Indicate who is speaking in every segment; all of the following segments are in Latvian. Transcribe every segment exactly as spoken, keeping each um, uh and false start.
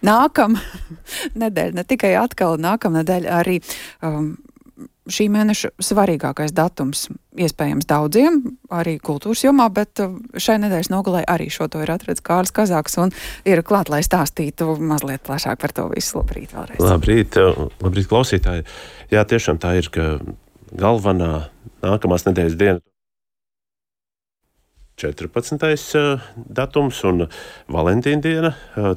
Speaker 1: Nākam nedēļa, ne tikai atkal nākam nedēļa, arī um, šī mēneša svarīgākais datums iespējams daudziem, arī kultūras jomā, bet šai nedēļas nogalē arī šo to ir atradis Kārlis Kazāks un ir klāt, lai stāstītu mazliet plašāk par to visu. Labrīt vēlreiz.
Speaker 2: Labrīt, labrīt klausītāji. Jā, tiešām tā ir, ka galvenā nākamās nedēļas diena četrpadsmitais datums un Valentīna diena.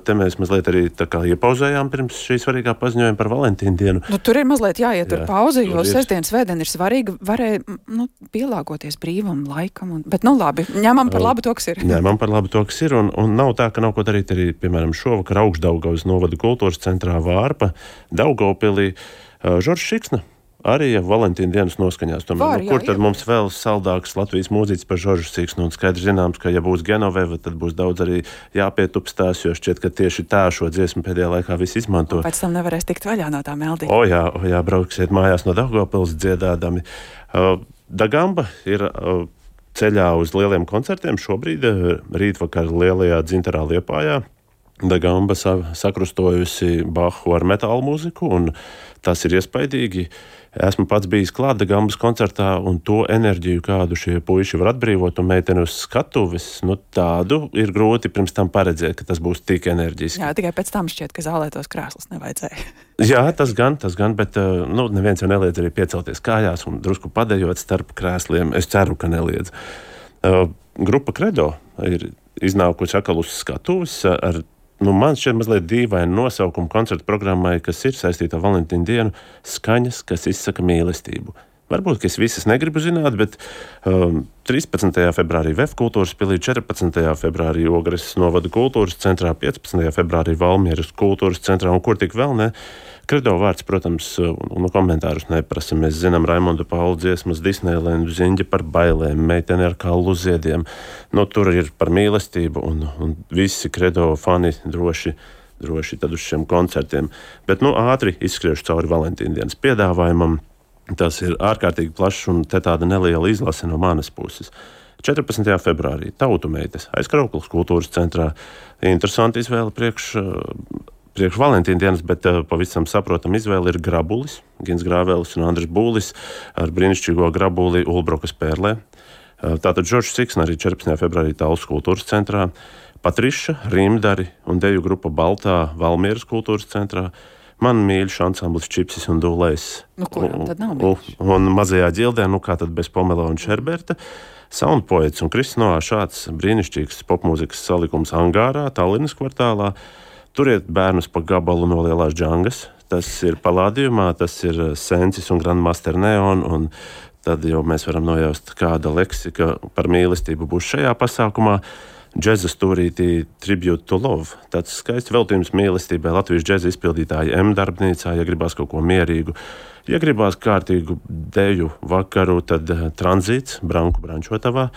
Speaker 2: Te mēs mazliet arī tā kā iepauzējām pirms šī svarīgā paziņojuma par Valentīna dienu.
Speaker 1: Nu, tur ir mazliet jāietur jā, pauzi, jo sestdien, svētdien ir svarīgi. Varēja nu, pielāgoties brīvam laikam. Un, bet nu labi, ņemam par labu to, kas ir.
Speaker 2: Ņemam par labu to, kas ir. Un, un nav tā, ka nav ko darīt arī, piemēram, šovakar Augšdaugavas novada kultūras centrā Vārpa, Daugavpilī. Žoržs Šiksna arī Valentīna dienas noskaņās. Tomēr, Var, nu, kur jā, tad jā. Mums vēl saldāks Latvijas mūziķis par Žoržu Šiksnu? Un skaidrs zināms, ka ja būs Genoveva, tad būs daudz arī jāpietupstās, jo šķiet, ka tieši tā šo dziesmu pēdējā laikā visi izmanto.
Speaker 1: Un pēc tam nevarēs tikt vaļā no tā meldī.
Speaker 2: O jā, o jā, brauksiet mājās no Daugavpils dziedādami. Uh, Dagamba ir uh, ceļā uz lieliem koncertiem šobrīd, uh, rītvakar lielajā Dzintarā Liepājā. Dagamba sa- sakrustojusi Bahu ar metālu mūziku, un tas ir iespaidīgi. Esmu pats bijis klāt Dagambas koncertā, un to enerģiju, kādu šie puiši var atbrīvot un meiteni uz skatuves, nu tādu ir grūti pirms tam paredzēt, ka tas būs tik enerģiski.
Speaker 1: Jā, tikai pēc tam šķiet, ka zālē tos krēslus nevajadzēja.
Speaker 2: Jā, tas gan, tas gan, bet nu, neviens jau neliedz arī piecelties kājās un drusku padejot starp krēsliem. Es ceru, ka neliedz. Uh, grupa Credo ir iznākusi atkal uz skatuves ar Nu, man šķiet mazliet dīvaini nosaukumu koncertu programmai, kas ir saistīta ar Valentīna dienu, skaņas, kas izsaka mīlestību. Varbūt, ka es visas negribu zināt, bet um, trīspadsmitajā februārī V E F kultūras pilī, četrpadsmitajā februārī Ogres novada kultūras centrā, piecpadsmitajā februārī Valmieras kultūras centrā un kur tik vēl ne. Credo vārds, protams, un komentārus neprasa. Mēs zinām Raimonda Paula dziesmas, Disneylandu, Ziņģi par bailēm, Meiteni ar kallu ziediem. Nu, tur ir par mīlestību un, un visi Credo fani droši, droši tad uz šiem koncertiem. Bet nu ātri izskriešu cauri Valentīna dienas piedāvājumam. Tas ir ārkārtīgi plašs un te tāda neliela izlase no manas puses. četrpadsmitajā februārī Tautu meitas Aizkrauklas kultūras centrā. Interesanti izvēle priekš Priekš Valentīna dienas, bet uh, pavisam saprotam izvēle ir Grabulis, Gins Grāvēlis un Andris Būlis ar brīnišķīgo Grabuli Ulbrokas pērlē. Uh, tātad Žoržs Šiksna arī četrpadsmitajā februārī Tallas kultūras centrā, Patriša, Rimdari un deju grupa Baltā Valmieras kultūras centrā, man mīļš ansamblis Čipsis un Dūlējs.
Speaker 1: Nu, kuram tad nav mīļš?
Speaker 2: Un, un mazajā ģildē, nu kā tad bez Pomela un Šerberta, Soundpoets un Kristinā šāds brīnišķīgs popmūzikas salikums Angārā, Tallinas kvartālā. Turiet bērnus pa gabalu no Lielās Džangas. Tas ir Palādījumā, tas ir Sensis un Grandmaster Neon, un tad jau mēs varam nojaust, kāda leksika par mīlestību būs šajā pasākumā. Džeza stūrītī Tribute to Love. Tāds skaists veltījums mīlestībai Latvijas džeza izpildītāja M darbnīcā, ja gribās kaut ko mierīgu. Ja gribās kārtīgu deju vakaru, tad Tranzīts Branku Brančotavā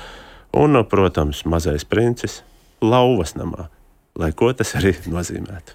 Speaker 2: un, protams, Mazais princis Lauvas namā. Lai ko tas arī nozīmētu.